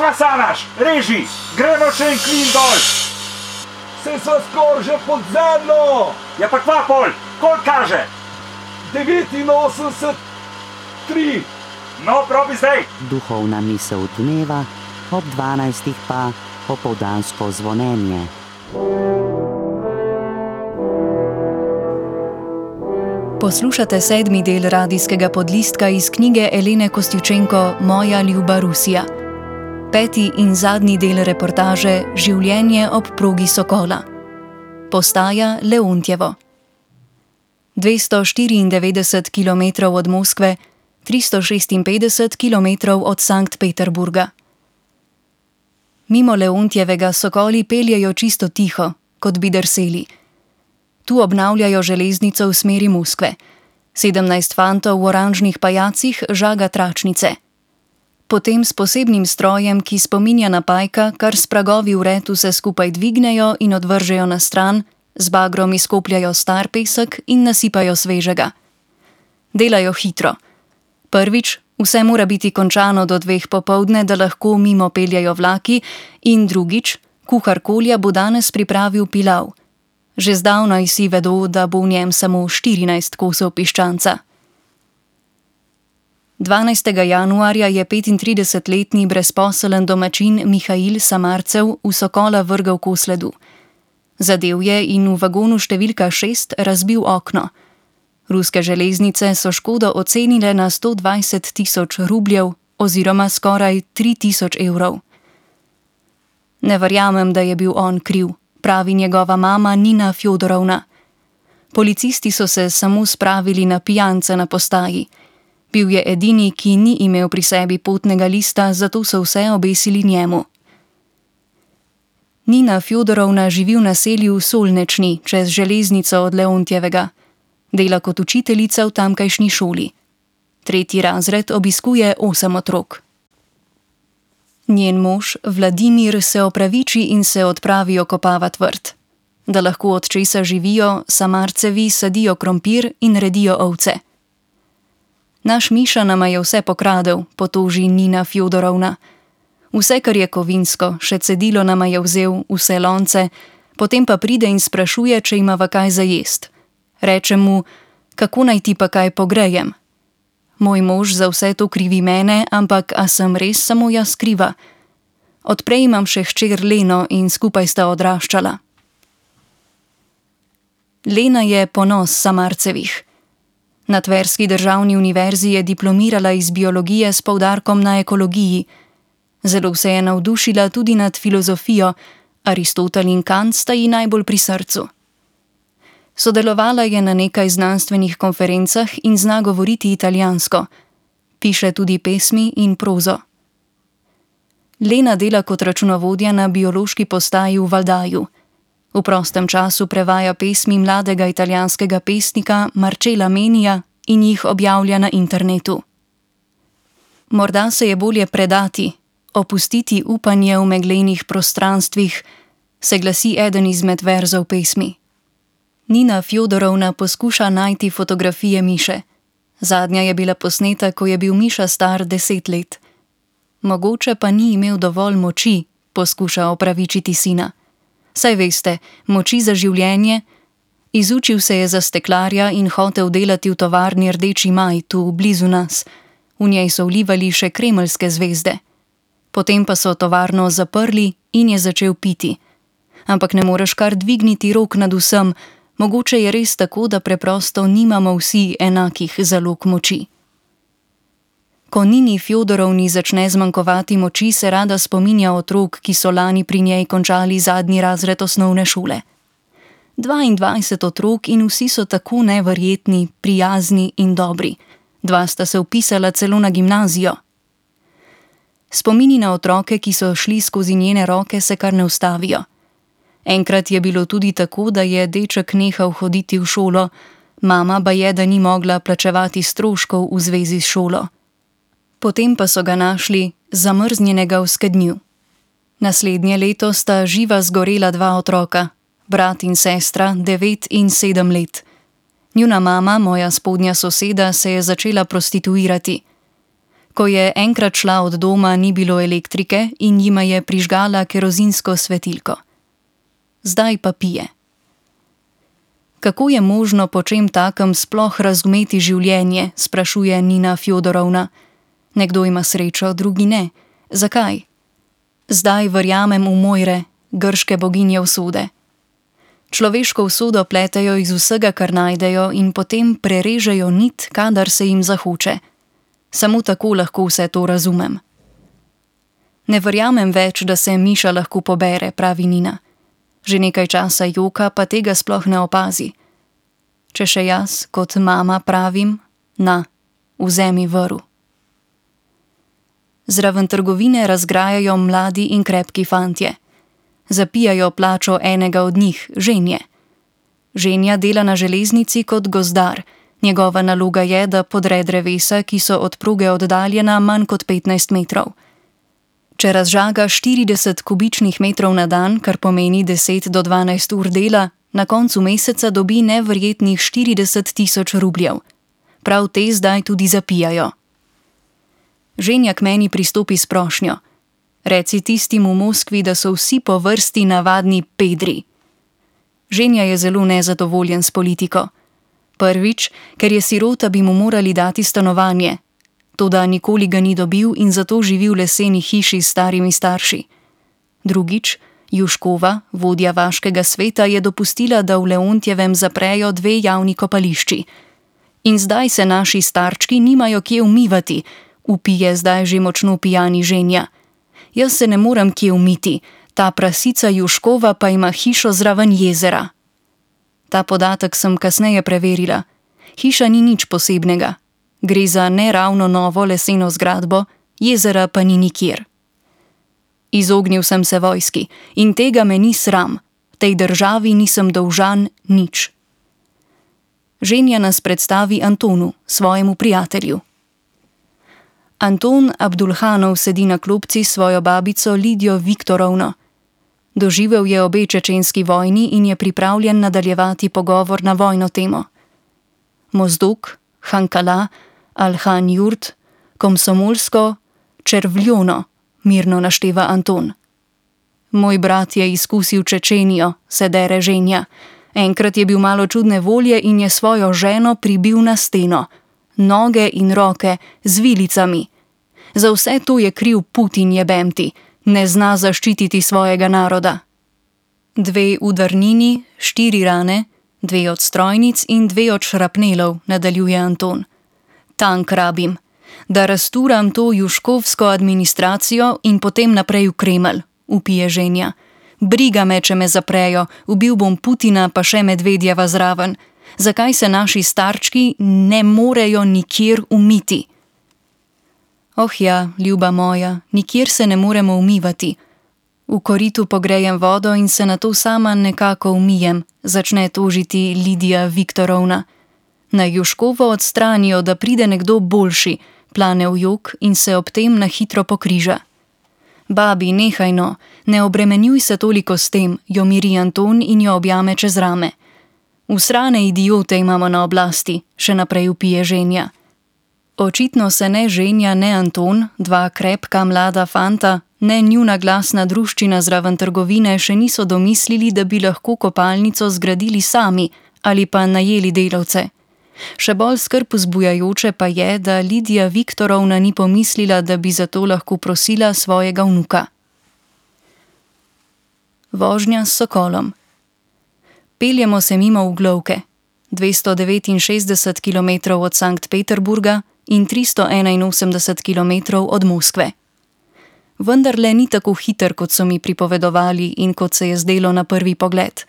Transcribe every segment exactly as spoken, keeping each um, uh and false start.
Kaj sanaš? Reži, gremo še en klin dol. Se sva skor že pod zemljo. Ja pa kva pol, koliko kaže? devetinosemdeset tri. No, probi zdaj. Duhovna misel dneva, ob dvanajstih pa opoldansko zvonjenje. Poslušate sedmi del radijskega podlistka iz knjige Elene Kostjučenko Moja ljuba Rusija. Peti in zadnji del reportaže Življenje ob progi Sokola. Postaja Leontjevo. dvesto štiriindevetdeset kilometrov od Moskve, tristo šestinpetdeset kilometrov od Sankt Peterburga. Mimo Leontjevega sokoli peljejo čisto tiho, kot bi drseli. Tu obnavljajo železnico v smeri Moskve. Sedemnajst fantov v oranžnih pajacih žaga tračnice. Potem s posebnim strojem, ki spominja na pajka, kar s pragovi vred vse skupaj dvignejo in odvržejo na stran, z bagrom izkopljajo star pesek in nasipajo svežega. Delajo hitro. Prvič, vse mora biti končano do dveh popoldne, da lahko mimo peljajo vlaki, in drugič, kuhar Kolja bo danes pripravil pilav. Že zdavnaj si vedo, da bo v njem samo štirinajst kosov piščanca. dvanajstega januarja je petintridesetletni brezposeln domačin Mihail Samarcev v Sokola vrgel kos ledu. Zadev je in v vagonu številka šest razbil okno. Ruske železnice so škodo ocenile na sto dvajset tisoč rubljev oziroma skoraj tri tisoč evrov. Ne verjamem, da je bil on kriv, pravi njegova mama Nina Fjodorovna. Policisti so se samo spravili na pijanca na postaji. Bil je edini, ki ni imel pri sebi potnega lista, zato so vse obesili njemu. Nina Fjodorovna živi v naselju Solnečni, čez železnico od Leontjevega. Dela kot učiteljica v tamkajšnji šoli. Tretji razred obiskuje osem otrok. Njen mož, Vladimir, se opraviči in se odpravi okopavat vrt. Da lahko od česa živijo, Samarcevi sadijo krompir in redijo ovce. Naš Miša nama je vse pokradel, potoži Nina Fjodorovna. Vse, kar je kovinsko, še cedilo nama je vzel, vse lonce, potem pa pride in sprašuje, če imava kaj za jest. Reče mu, kako naj ti pa kaj pogrejem. Moj mož za vse to krivi mene, ampak a sem res samo jaz kriva? Odprej imam še hčer Leno in skupaj sta odraščala. Lena je ponos Samarcevih. Na Tverski državni univerzi je diplomirala iz biologije s poudarkom na ekologiji. Zelo se je navdušila tudi nad filozofijo, Aristotel in Kant sta ji najbolj pri srcu. Sodelovala je na nekaj znanstvenih konferencah in zna govoriti italijansko. Piše tudi pesmi in prozo. Lena dela kot računovodja na biološki postaji v Valdaju. V prostem času prevaja pesmi mladega italijanskega pesnika Marcella Menija in jih objavlja na internetu. Morda se je bolje predati, opustiti upanje v meglenih prostranstvih, se glasi eden izmed verzov pesmi. Nina Fjodorovna poskuša najti fotografije Miše. Zadnja je bila posneta, ko je bil Miša star deset let. Mogoče pa ni imel dovolj moči, poskuša opravičiti sina. Saj veste, moči za življenje. Izučil se je za steklarja in hotel delati v tovarni Rdeči maj, tu blizu nas. V njej so vlivali še kremeljske zvezde. Potem pa so tovarno zaprli in je začel piti. Ampak ne moreš kar dvigniti rok nad vsem, mogoče je res tako, da preprosto nimamo vsi enakih zalog moči. Ko Nini Fjodorovni začne zmanjkovati moči, se rada spominja otrok, ki so lani pri njej končali zadnji razred osnovne šole. dvaindvajset otrok in vsi so tako neverjetni, prijazni in dobri. Dva sta se vpisala celo na gimnazijo. Spomini na otroke, ki so šli skozi njene roke, se kar ne ustavijo. Enkrat je bilo tudi tako, da je deček nehal hoditi v šolo, mama ba je, da ni mogla plačevati stroškov v zvezi s šolo. Potem pa so ga našli zamrznjenega v skednju. Naslednje leto sta živa zgorela dva otroka, brat in sestra, devet in sedem let. Njuna mama, moja spodnja soseda, se je začela prostituirati. Ko je enkrat šla od doma, ni bilo elektrike in jima je prižgala kerozinsko svetilko. Zdaj pa pije. Kako je možno po čem takem sploh razumeti življenje, sprašuje Nina Fjodorovna. Nekdo ima srečo, drugi ne. Zakaj? Zdaj verjamem v Mojre, grške boginje usode. Človeško usodo pletejo iz vsega, kar najdejo, in potem prerežejo nit, kadar se jim zahoče. Samo tako lahko vse to razumem. Ne verjamem več, da se Miša lahko pobere, pravi Nina. Že nekaj časa joka, pa tega sploh ne opazi. Če še jaz, kot mama, pravim, na, vzemi vrv. Zraven trgovine razgrajajo mladi in krepki fantje. Zapijajo plačo enega od njih, Ženje. Ženja dela na železnici kot gozdar. Njegova naloga je, da podre drevesa, ki so od proge oddaljena manj kot petnajst metrov. Če razžaga štirideset kubičnih metrov na dan, kar pomeni deset do dvanajst ur dela, na koncu meseca dobi neverjetnih štirideset tisoč rubljev. Prav te zdaj tudi zapijajo. Ženja k meni pristopi s prošnjo. Reci tistim v Moskvi, da so vsi po vrsti navadni pedri. Ženja je zelo nezadovoljen s politiko. Prvič, ker je sirota, bi mu morali dati stanovanje. Toda nikoli ga ni dobil in zato živi v leseni hiši s starimi starši. Drugič, Juškova, vodja vaškega sveta, je dopustila, da v Leontjevem zaprejo dve javni kopališči. In zdaj se naši starčki nimajo kje umivati, vpije zdaj že močno pijani Ženja. Jaz se ne morem kje umiti, ta prasica Juškova pa ima hišo zraven jezera. Ta podatek sem kasneje preverila. Hiša ni nič posebnega. Gre za neravno novo leseno zgradbo, jezera pa ni nikjer. Izognil sem se vojski in tega me ni sram. Tej državi nisem dolžan nič. Ženja nas predstavi Antonu, svojemu prijatelju. Anton Abdulhanov sedi na klopci s svojo babico Lidijo Viktorovno. Doživel je obe čečenski vojni in je pripravljen nadaljevati pogovor na vojno temo. Mozdok, Hankala, Alhan-Jurt, Komsomolsko, Červljono, mirno našteva Anton. Moj brat je izkusil Čečenijo, se dere Ženja. Enkrat je bil malo čudne volje in je svojo ženo pribil na steno. Noge in roke z vilicami. Za vse to je kriv Putin, jebemti. Ne zna zaščititi svojega naroda. Dve udarnini, štiri rane, dve od strojnic in dve od šrapnelov, nadaljuje Anton. Tank rabim. Da razturam to juškovsko administracijo in potem naprej v Kremelj, vpije Ženja. Briga me, če me zaprejo, ubil bom Putina pa še Medvedjeva zraven. Zakaj se naši starčki ne morejo nikjer umiti? Oh ja, ljuba moja, nikjer se ne moremo umivati. V koritu pogrejem vodo in se nato sama nekako umijem, začne tožiti Lidija Viktorovna. Naj Juškovo odstranijo, da pride nekdo boljši, plane v jok in se ob tem na hitro pokriža. Babi, nehaj no, ne obremenjuj se toliko s tem, jo miri Anton in jo objame čez rame. Usrane idiote imamo na oblasti, še naprej vpije Ženja. Očitno se ne Ženja, ne Anton, dva krepka mlada fanta, ne njuna glasna druščina zraven trgovine še niso domislili, da bi lahko kopalnico zgradili sami ali pa najeli delavce. Še bolj skrb vzbujajoče pa je, da Lidija Viktorovna ni pomislila, da bi za to lahko prosila svojega vnuka. Vožnja s sokolom. Peljemo se mimo Uglovke, dvesto devetinšestdeset kilometrov od Sankt Peterburga in tristo enainosemdeset kilometrov od Moskve. Vendarle ni tako hiter, kot so mi pripovedovali in kot se je zdelo na prvi pogled.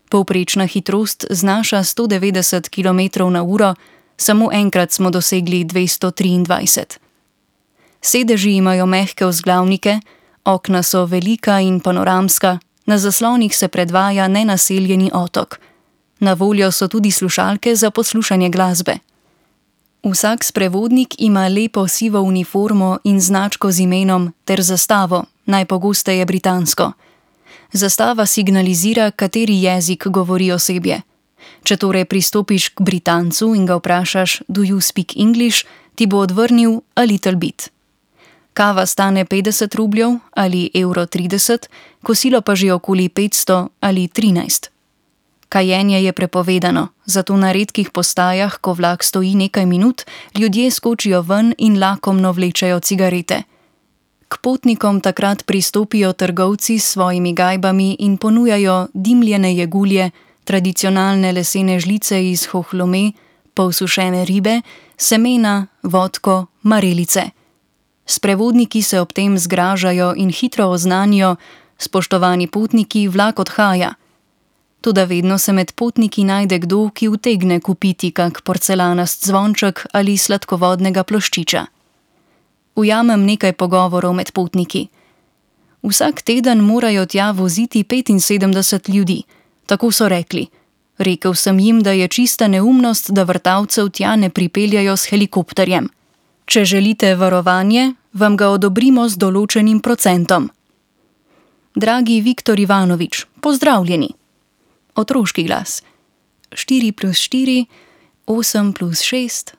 Povprečna hitrost znaša sto devetdeset kilometrov na uro, samo enkrat smo dosegli dvesto triindvajset. Sedeži imajo mehke vzglavnike, okna so velika in panoramska, na zaslonih se predvaja nenaseljeni otok. Na voljo so tudi slušalke za poslušanje glasbe. Vsak sprevodnik ima lepo sivo uniformo in značko z imenom ter zastavo, najpogosteje britansko. Zastava signalizira, kateri jezik govori osebje. Če torej pristopiš k Britancu in ga vprašaš, do you speak English, ti bo odvrnil a little bit. Kava stane petdeset rubljev ali evro trideset, kosilo pa že okoli petsto ali trinajst. Kajenje je prepovedano, zato na redkih postajah, ko vlak stoji nekaj minut, ljudje skočijo ven in lakomno vlečejo cigarete. K potnikom takrat pristopijo trgovci s svojimi gajbami in ponujajo dimljene jegulje, tradicionalne lesene žlice iz hohlome, polsušene ribe, semena, vodko, marelice. Sprevodniki se ob tem zgražajo in hitro oznanijo: spoštovani potniki, vlak odhaja. Toda vedno se med potniki najde kdo, ki utegne kupiti kak porcelanast zvonček ali sladkovodnega ploščiča. Ujamem nekaj pogovorov med potniki. Vsak teden morajo tja voziti petinsedemdeset ljudi, tako so rekli. Rekel sem jim, da je čista neumnost, da vrtavcev tja ne pripeljajo s helikopterjem. Če želite varovanje, vam ga odobrimo z določenim procentom. Dragi Viktor Ivanovič, pozdravljeni. Otroški glas. štiri plus štiri, osem plus šest,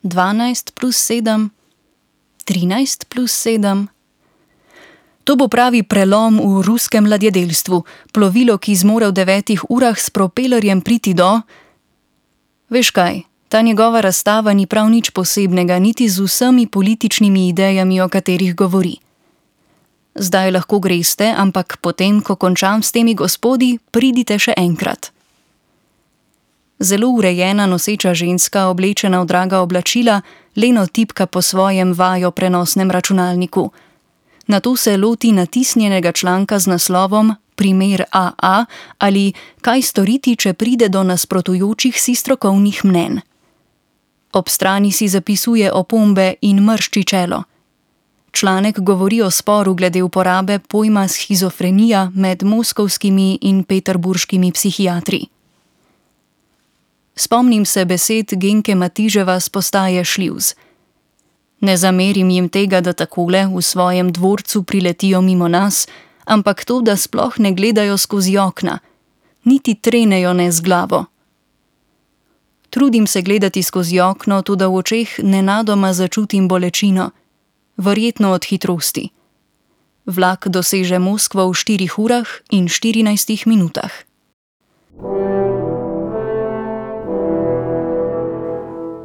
dvanajst plus sedem, trinajst plus sedem. To bo pravi prelom v ruskem ladjedelstvu, plovilo, ki zmore v devetih urah s propelerjem priti do... Veš kaj, ta njegova razstava ni prav nič posebnega, niti z vsemi političnimi idejami, o katerih govori. Zdaj lahko greste, ampak potem, ko končam s temi gospodi, pridite še enkrat. Zelo urejena noseča ženska, oblečena v draga oblačila, leno tipka po svojem vajo prenosnem računalniku. Nato se loti natisnjenega članka z naslovom Primer A A ali Kaj storiti, če pride do nasprotujočih si strokovnih mnenj. Ob strani si zapisuje opombe in mršči čelo. Članek govori o sporu glede uporabe pojma shizofrenija med moskovskimi in peterburškimi psihiatri. Spomnim se besed Genke Matiževa s postaje Šlivz. Ne zamerim jim tega, da takole v svojem dvorcu priletijo mimo nas, ampak to, da sploh ne gledajo skozi okna, niti trenejo ne z glavo. Trudim se gledati skozi okno, toda v očeh nenadoma začutim bolečino, verjetno od hitrosti. Vlak doseže Moskvo v štirih urah in štirinajstih minutah.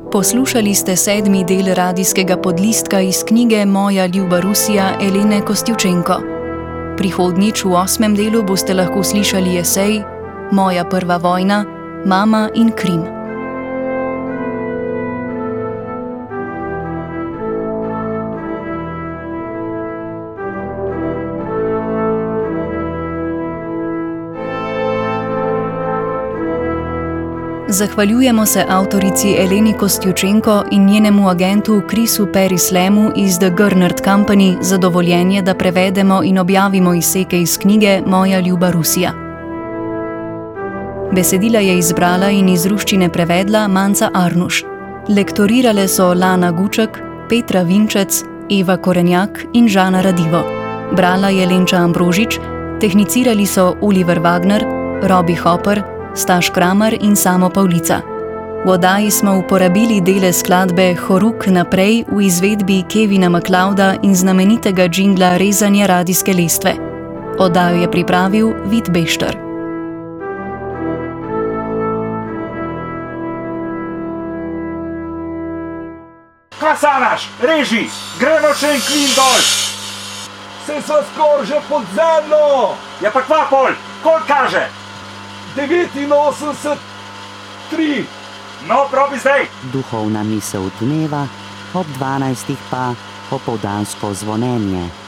Poslušali ste sedmi del radijskega podlistka iz knjige Moja ljuba Rusija Elene Kostjučenko. Prihodnjič v osmem delu boste lahko slišali esej Moja prva vojna, mama in Krim. Zahvaljujemo se avtorici Eleni Kostjučenko in njenemu agentu Chrisu Perislemu iz The Gernert Company za dovoljenje, da prevedemo in objavimo izseke iz knjige Moja ljuba Rusija. Besedila je izbrala in iz ruščine prevedla Manca Arnuš. Lektorirale so Lana Guček, Petra Vinčec, Eva Korenjak in Žana Radivo. Brala je Lenča Ambrožič, tehnicirali so Oliver Wagner, Robi Hopper, Staš Kramer in Samo Pavlica. V oddaji smo uporabili dele skladbe Horuk naprej v izvedbi Kevina MacLeoda in znamenitega džingla Rezanje radijske lestve. Oddajo je pripravil Vid Bešter. Kasanaš, reži, gremo še en klin dol. Se sva skoraj že pod zemljo! Ja pa kva pol, koliko kaže? devetinosemdeset tri. No, probi zdaj. Duhovna misel dneva, ob dvanajstih pa opoldansko zvonjenje.